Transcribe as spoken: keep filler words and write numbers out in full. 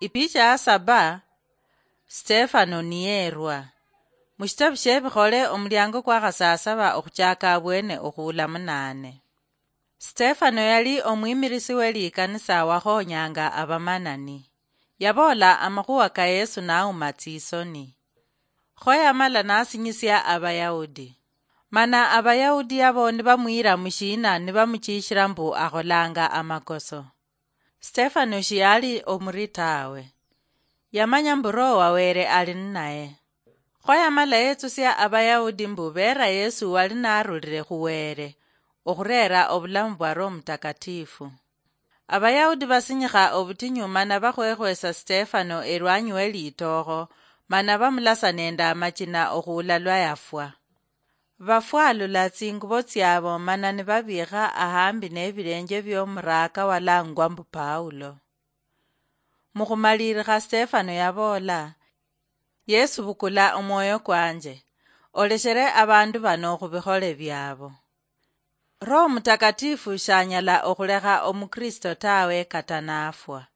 Ipicha ya saba, Stefano niyerwa. Mushitabu shebikhole omulyango kwakhasasaba okhuchaka abwene okhuula munaane. Stefano yali omwimirisi welikanisa wakhonyanga abamanani. Yaboola amakhuwa ka Yesu nauma tsisoni. Kho yamala nasinyisia Abayahudi. Mana Abayahudi yabo nibamwira mushina nibamuchishira mbu akholanga amakoso. Stefano shiyali omuri tawe. Yamanya mbu Roho wa Were ali ninaye. Kho yamala yetsusia Abayahudi mbu beera Yesu wali narulire khu Were okhureera obulamu bwa Roho Mutakatifu. Abayahudi basinyikha obutinyu mana bakhwekhwesa Stefano erwanyi we litookho, mana bamulasa nende amachina okhuula lwa yafwa. Bafwalula tsingubo tsiabo mana nibabiikha ahambi nebilenje biomuraaka walangwa mbu Paulo. Mukhumalirikha Stefano yaboola, "Yesu, bukula omwoyo kwanje, oleshere abandu bano khubikhole biabo." Roho Mutakatifu shanyala okhulekha omukristo tawe kata nafwa.